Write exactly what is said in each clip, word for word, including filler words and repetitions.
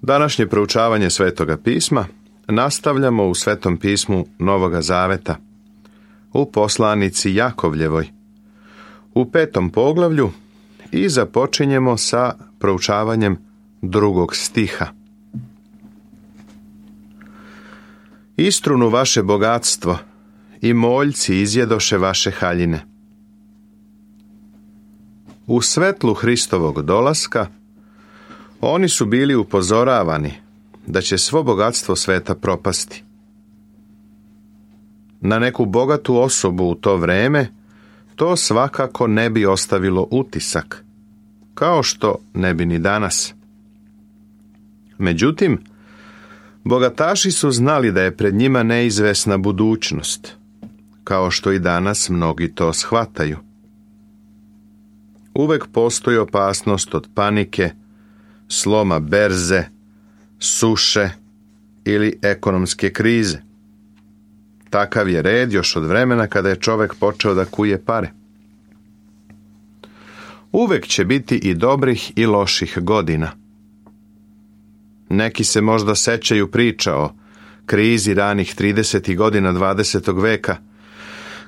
Današnje proučavanje Svetoga pisma nastavljamo u Svetom pismu Novoga Zaveta, u poslanici Jakovljevoj, u petom poglavlju i započinjemo sa proučavanjem drugog stiha. Istrunu vaše bogatstvo i moljci izjedoše vaše haljine. U svetlu Hristovog dolaska oni su bili upozoravani da će svo bogatstvo sveta propasti. Na neku bogatu osobu u to vreme to svakako ne bi ostavilo utisak, kao što ne bi ni danas. Međutim, bogataši su znali da je pred njima neizvesna budućnost, kao što i danas mnogi to shvataju. Uvek postoji opasnost od panike, sloma berze, suše ili ekonomske krize. Takav je red još od vremena kada je čovjek počeo da kuje pare. Uvek će biti i dobrih i loših godina. Neki se možda sećaju priča o krizi ranih tridesetih godina dvadesetog veka,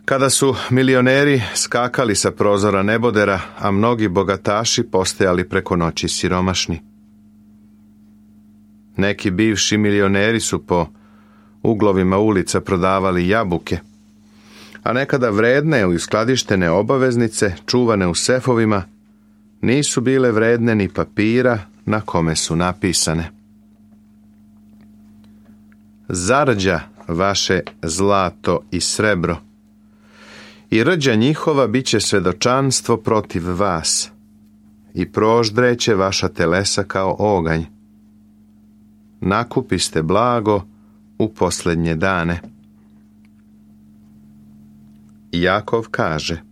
kada su milioneri skakali sa prozora nebodera, a mnogi bogataši postajali preko noći siromašni. Neki bivši milioneri su po uglovima ulica prodavali jabuke, a nekada vredne ili skladištene obaveznice, čuvane u sefovima, nisu bile vredne ni papira na kome su napisane. Zarđa vaše zlato i srebro, i rđa njihova bit će svedočanstvo protiv vas, i proždreće vaša telesa kao oganj. Nakupiste blago u posljednje dane. Jakov kaže: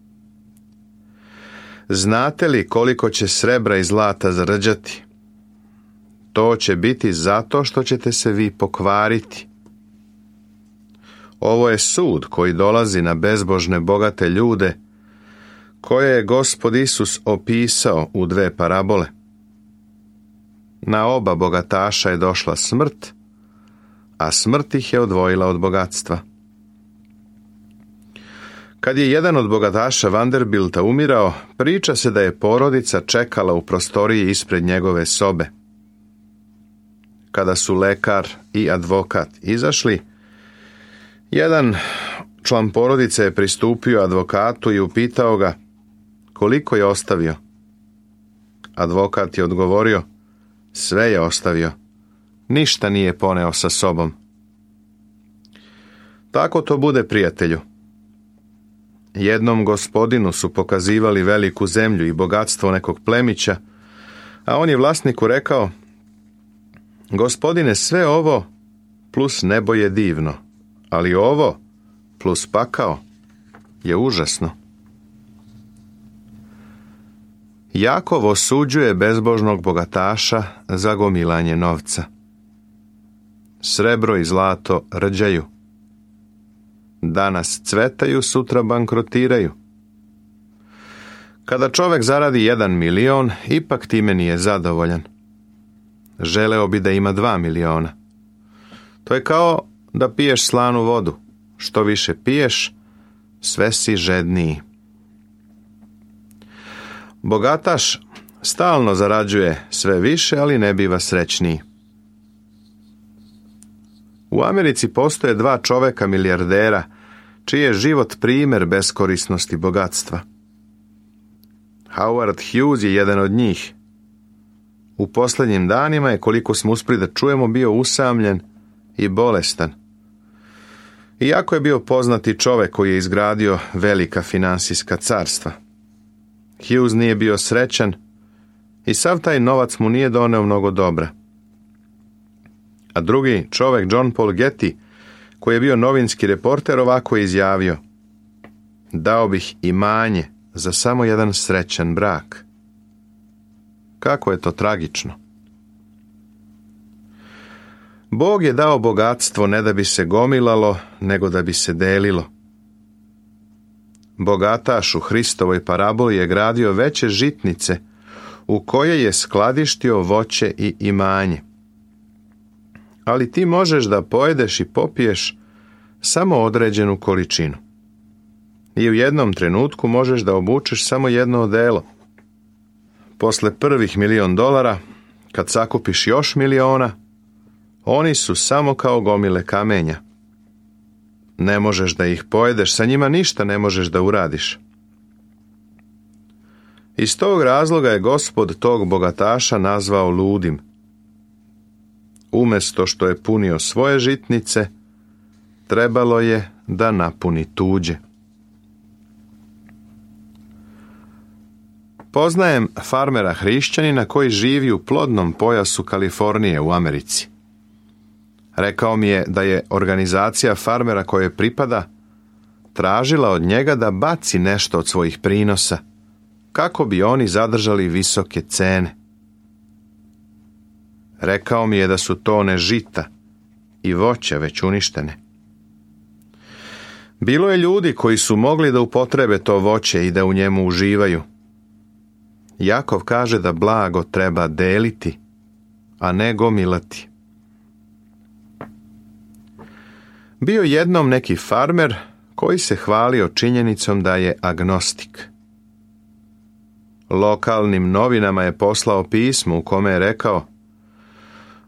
znate li koliko će srebra i zlata zarđati? To će biti zato što ćete se vi pokvariti. Ovo je sud koji dolazi na bezbožne bogate ljude, koje je Gospod Isus opisao u dve parabole. Na oba bogataša je došla smrt, a smrt ih je odvojila od bogatstva. Kad je jedan od bogataša Vanderbilta umirao, priča se da je porodica čekala u prostoriji ispred njegove sobe. Kada su lekar i advokat izašli, jedan član porodice je pristupio advokatu i upitao ga koliko je ostavio. Advokat je odgovorio: sve je ostavio, ništa nije poneo sa sobom. Tako to bude, prijatelju. Jednom gospodinu su pokazivali veliku zemlju i bogatstvo nekog plemića, a on je vlasniku rekao: gospodine, sve ovo plus nebo je divno, ali ovo plus pakao je užasno. Jakov osuđuje bezbožnog bogataša za gomilanje novca. Srebro i zlato rđaju. Danas cvetaju, sutra bankrotiraju. Kada čovjek zaradi jedan milion, ipak time nije zadovoljan. Želeo bi da ima dva miliona. To je kao da piješ slanu vodu. Što više piješ, sve si žedniji. Bogataš stalno zarađuje sve više, ali ne biva srećniji. U Americi postoje dva čoveka milijardera, čiji je život primjer beskorisnosti bogatstva. Howard Hughes je jedan od njih. U posljednjim danima je, koliko smo uspjeli da čujemo, bio usamljen i bolestan. Iako je bio poznati čovjek koji je izgradio velika finansijska carstva. Hughes nije bio srećan i sav taj novac mu nije doneo mnogo dobra. A drugi čovjek, John Paul Getty, koji je bio novinski reporter, ovako je izjavio: dao bih imanje za samo jedan srećan brak. Kako je to tragično. Bog je dao bogatstvo ne da bi se gomilalo, nego da bi se delilo. Bogataš u Hristovoj paraboli je gradio veće žitnice u koje je skladištio voće i imanje. ali ti možeš da pojedeš i popiješ samo određenu količinu. I u jednom trenutku možeš da obučeš samo jedno odelo. Posle prvih milion dolara, kad sakupiš još miliona, oni su samo kao gomile kamenja. Ne možeš da ih pojedeš, sa njima ništa ne možeš da uradiš. Iz tog razloga je Gospod tog bogataša nazvao ludim. Umesto što je punio svoje žitnice, trebalo je da napuni tuđe. Poznajem farmera hrišćanina koji živi u plodnom pojasu Kalifornije u Americi. Rekao mi je da je organizacija farmera koje pripada tražila od njega da baci nešto od svojih prinosa, kako bi oni zadržali visoke cene. Rekao mi je da su tone žita i voća već uništene. Bilo je ljudi koji su mogli da upotrebe to voće i da u njemu uživaju. Jakov kaže da blago treba deliti, a ne gomilati. Bio jednom neki farmer koji se hvalio činjenicom da je agnostik. Lokalnim novinama je poslao pismo u kome je rekao: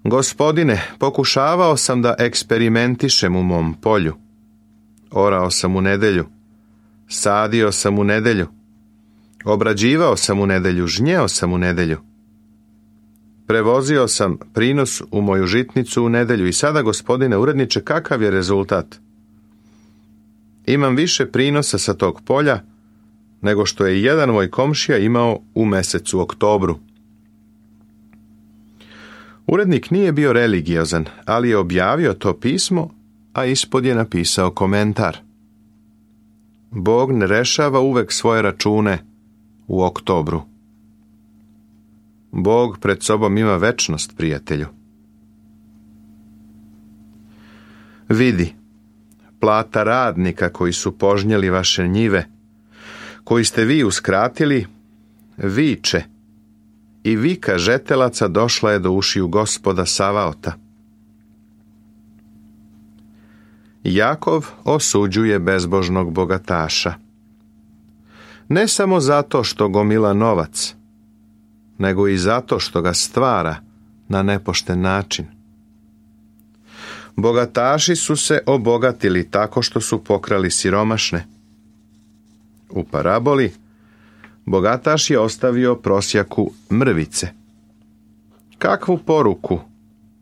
Gospodine, pokušavao sam da eksperimentišem u mom polju. Orao sam u nedelju, sadio sam u nedelju, obrađivao sam u nedelju, žnjeo sam u nedelju. Prevozio sam prinos u moju žitnicu u nedelju i sada, gospodine uredniče, kakav je rezultat? Imam više prinosa sa tog polja nego što je jedan moj komšija imao u mesecu oktobru. Urednik nije bio religiozan, ali je objavio to pismo, a ispod je napisao komentar: Bog ne rešava uvek svoje račune u oktobru. Bog pred sobom ima večnost, prijatelju. Vidi, plata radnika koji su požnjeli vaše njive, koji ste vi uskratili, viče, i vika žetelaca došla je do ušiju Gospoda Savaota. Jakov osuđuje bezbožnog bogataša. Ne samo zato što gomila novac, nego i zato što ga stvara na nepošten način. Bogataši su se obogatili tako što su pokrali siromašne. U paraboli bogataš je ostavio prosjaku mrvice. Kakvu poruku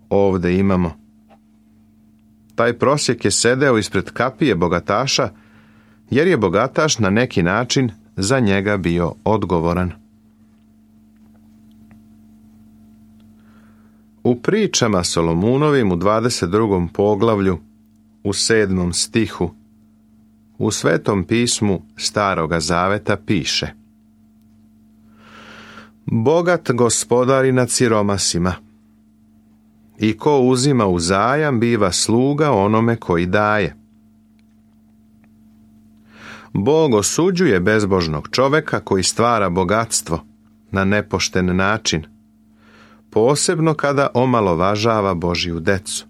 ovde imamo? Taj prosjek je sedeo ispred kapije bogataša, jer je bogataš na neki način za njega bio odgovoran. U pričama Solomunovim u dvadeset drugom poglavlju, u sedmom stihu, u Svetom pismu Staroga Zaveta piše: Bogat gospodari nad siromasima, i ko uzima u zajam biva sluga onome koji daje. Bog osuđuje bezbožnog čoveka koji stvara bogatstvo na nepošten način, posebno kada omalovažava Božju decu.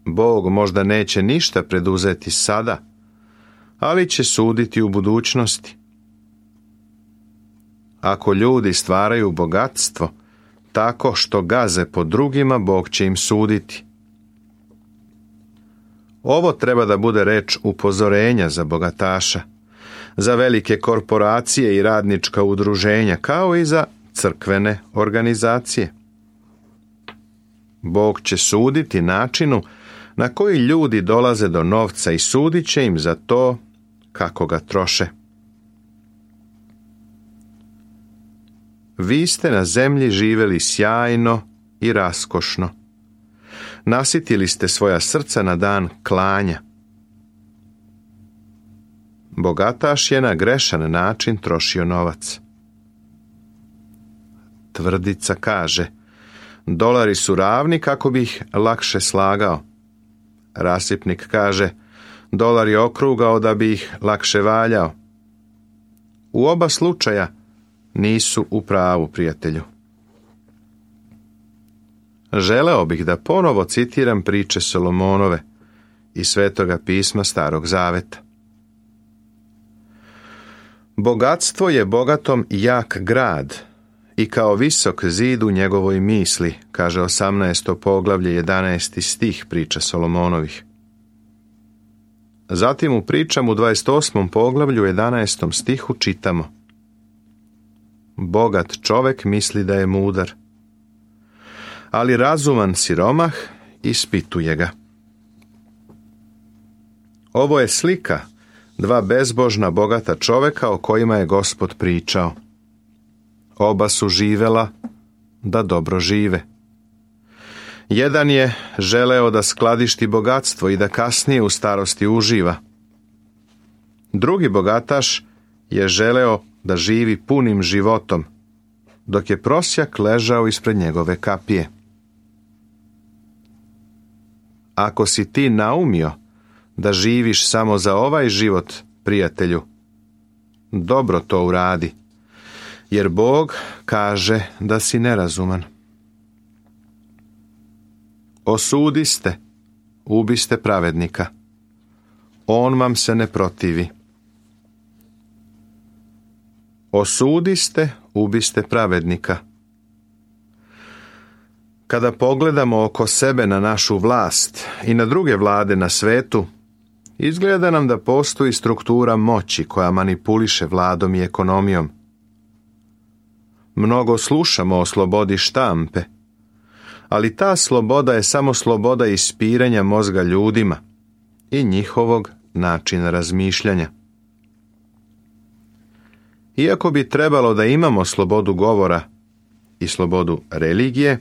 Bog možda neće ništa preduzeti sada, ali će suditi u budućnosti. Ako ljudi stvaraju bogatstvo tako što gaze po drugima, Bog će im suditi. Ovo treba da bude reč upozorenja za bogataša, za velike korporacije i radnička udruženja, kao i za crkvene organizacije. Bog će suditi načinu na koji ljudi dolaze do novca i sudit će im za to kako ga troše. Vi ste na zemlji živeli sjajno i raskošno. Nasitili ste svoja srca na dan klanja. Bogataš je na grešan način trošio novac. Tvrdica kaže: dolari su ravni kako bi ih lakše slagao. Rasipnik kaže: dolar je okrugao da bi ih lakše valjao. U oba slučaja nisu u pravu, prijatelju. želeo bih da ponovo citiram priče Solomonove iz Svetoga pisma Starog Zaveta. Bogatstvo je bogatom jak grad i kao visok zid u njegovoj misli, kaže osamnaesto poglavlje jedanaesti stih priča Solomonovih. Zatim u pričama u dvadeset osmom poglavlju jedanaestom stihu čitamo: Bogat čovek misli da je mudar, ali razuman siromah ispituje ga. Ovo je slika dva bezbožna bogata čoveka o kojima je Gospod pričao. Oba su živela da dobro žive. Jedan je želeo da skladišti bogatstvo i da kasnije u starosti uživa. Drugi bogataš je želeo da živi punim životom, dok je prosjak ležao ispred njegove kapije. Ako si ti naumio da živiš samo za ovaj život, prijatelju, dobro to uradi, jer Bog kaže da si nerazuman. Osudiste, ubiste pravednika. On vam se ne protivi. Osudiste, ubiste pravednika. Kada pogledamo oko sebe na našu vlast i na druge vlade na svetu, izgleda nam da postoji struktura moći koja manipuliše vladom i ekonomijom. Mnogo slušamo o slobodi štampe, ali ta sloboda je samo sloboda ispiranja mozga ljudima i njihovog načina razmišljanja. Iako bi trebalo da imamo slobodu govora i slobodu religije,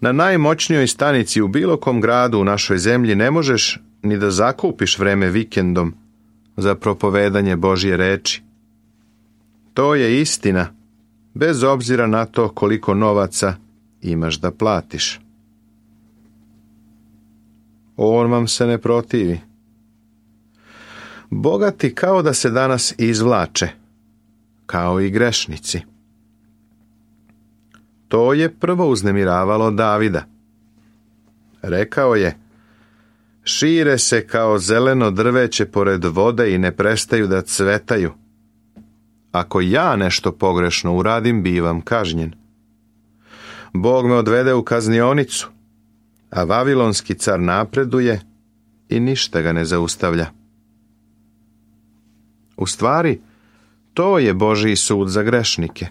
na najmoćnijoj stanici u bilo kom gradu u našoj zemlji ne možeš ni da zakupiš vreme vikendom za propovedanje Božje reči. To je istina, bez obzira na to koliko novaca imaš da platiš. On vam se ne protivi. Bogati kao da se danas izvlače, kao i grešnici. To je prvo uznemiravalo Davida. Rekao je: šire se kao zeleno drveće pored vode i ne prestaju da cvetaju. Ako ja nešto pogrešno uradim, bivam kažnjen. Bog me odvede u kaznionicu, a vavilonski car napreduje i ništa ga ne zaustavlja. U stvari, to je Božji sud za grešnike.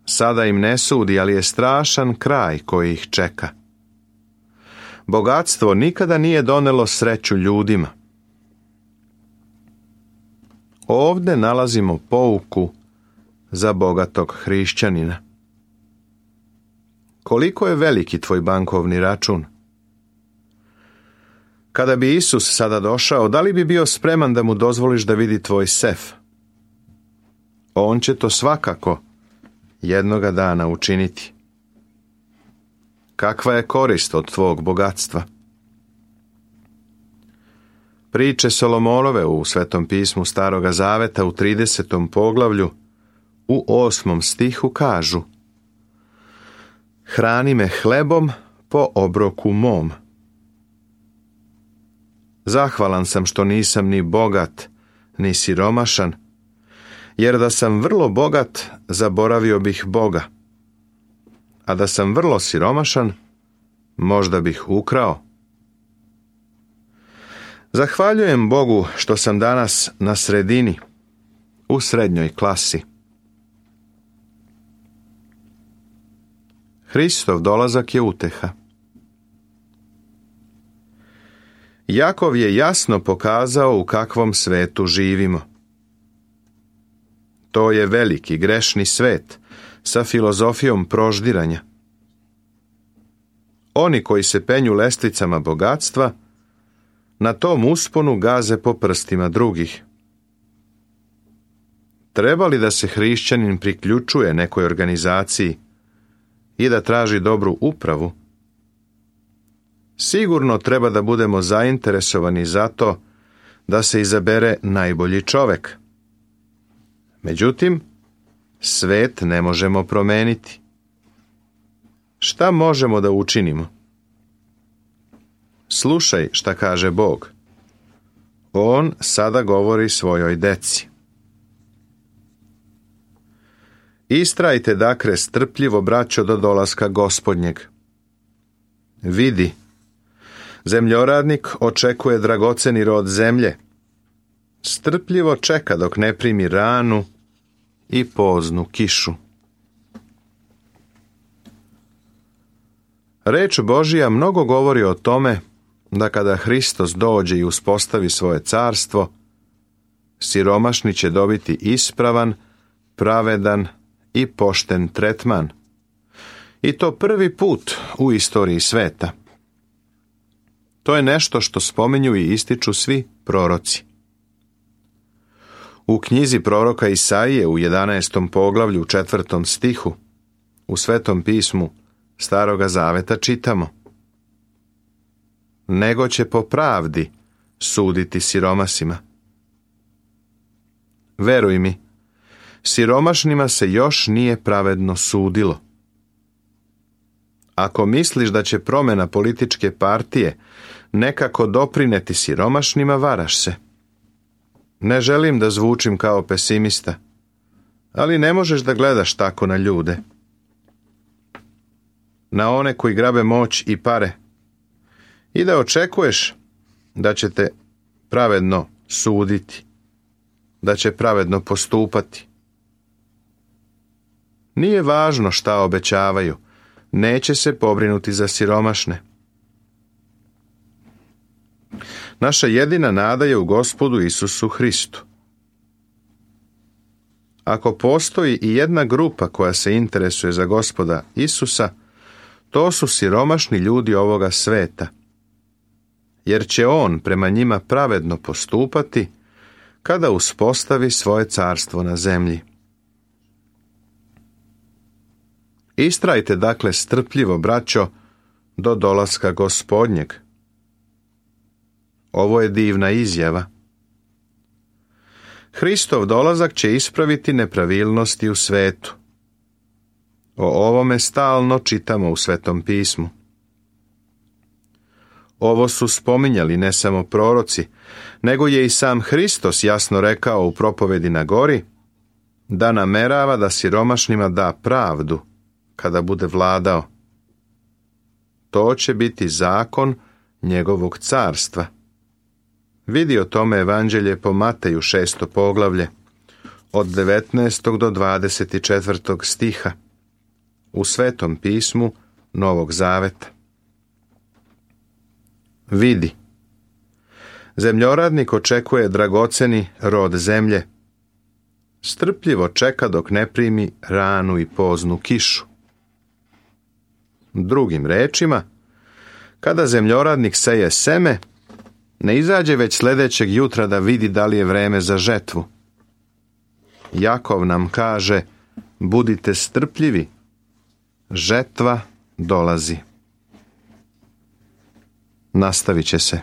Sada im ne sudi, ali je strašan kraj koji ih čeka. Bogatstvo nikada nije donelo sreću ljudima. Ovde nalazimo pouku za bogatog hrišćanina. Koliko je veliki tvoj bankovni račun? Kada bi Isus sada došao, da li bi bio spreman da mu dozvoliš da vidi tvoj sef? On će to svakako jednoga dana učiniti. Kakva je korist od tvog bogatstva? Priče Solomonove u Svetom pismu Staroga Zaveta u tridesetom poglavlju u osmom stihu kažu: hrani me hlebom po obroku mom. Zahvalan sam što nisam ni bogat, ni siromašan, jer da sam vrlo bogat, zaboravio bih Boga, a da sam vrlo siromašan, možda bih ukrao. Zahvaljujem Bogu što sam danas na sredini, u srednjoj klasi. Hristov dolazak je uteha. Jakov je jasno pokazao u kakvom svetu živimo. To je veliki grešni svet sa filozofijom proždiranja. Oni koji se penju lestvicama bogatstva, na tom usponu gaze po prstima drugih. Treba li da se hrišćanin priključuje nekoj organizaciji i da traži dobru upravu? Sigurno treba da budemo zainteresovani za to da se izabere najbolji čovek. Međutim, svet ne možemo promeniti. Šta možemo da učinimo? Slušaj šta kaže Bog. On sada govori svojoj deci. Istrajte dakle strpljivo, braćo, do dolaska Gospodnjeg. Vidi, zemljoradnik očekuje dragoceni rod zemlje. Strpljivo čeka dok ne primi ranu i poznu kišu. Reč Božija mnogo govori o tome da kada Hristos dođe i uspostavi svoje carstvo, siromašni će dobiti ispravan, pravedan i pošten tretman. I to prvi put u istoriji sveta. To je nešto što spominju i ističu svi proroci. U knjizi proroka Isaije u jedanaestom poglavlju u četvrtom stihu u Svetom pismu Staroga Zaveta čitamo: nego će po pravdi suditi siromasima. Veruj mi, siromašnima se još nije pravedno sudilo. Ako misliš da će promjena političke partije nekako doprineti siromašnima, varaš se. Ne želim da zvučim kao pesimista, ali ne možeš da gledaš tako na ljude. Na one koji grabe moć i pare i da očekuješ da će te pravedno suditi, da će pravedno postupati. Nije važno šta obećavaju, neće se pobrinuti za siromašne. Naša jedina nada je u Gospodu Isusu Hristu. Ako postoji i jedna grupa koja se interesuje za Gospoda Isusa, to su siromašni ljudi ovoga sveta, jer će on prema njima pravedno postupati kada uspostavi svoje carstvo na zemlji. Istrajte dakle strpljivo, braćo, do dolaska Gospodnjeg. Ovo je divna izjava. Hristov dolazak će ispraviti nepravilnosti u svetu. O ovome stalno čitamo u Svetom pismu. Ovo su spominjali ne samo proroci, nego je i sam Hristos jasno rekao u propovedi na gori da namerava da siromašnima da pravdu kada bude vladao. To će biti zakon njegovog carstva. Vidi o tome evanđelje po Mateju šesto poglavlje, od devetnaestog do dvadeset četvrtog stiha, u Svetom pismu Novog Zaveta. Vidi, zemljoradnik očekuje dragoceni rod zemlje. Strpljivo čeka dok ne primi ranu i poznu kišu. Drugim rečima, kada zemljoradnik seje seme, ne izađe već sljedećeg jutra da vidi da li je vreme za žetvu. Jakov nam kaže: budite strpljivi, žetva dolazi. Nastavit će se.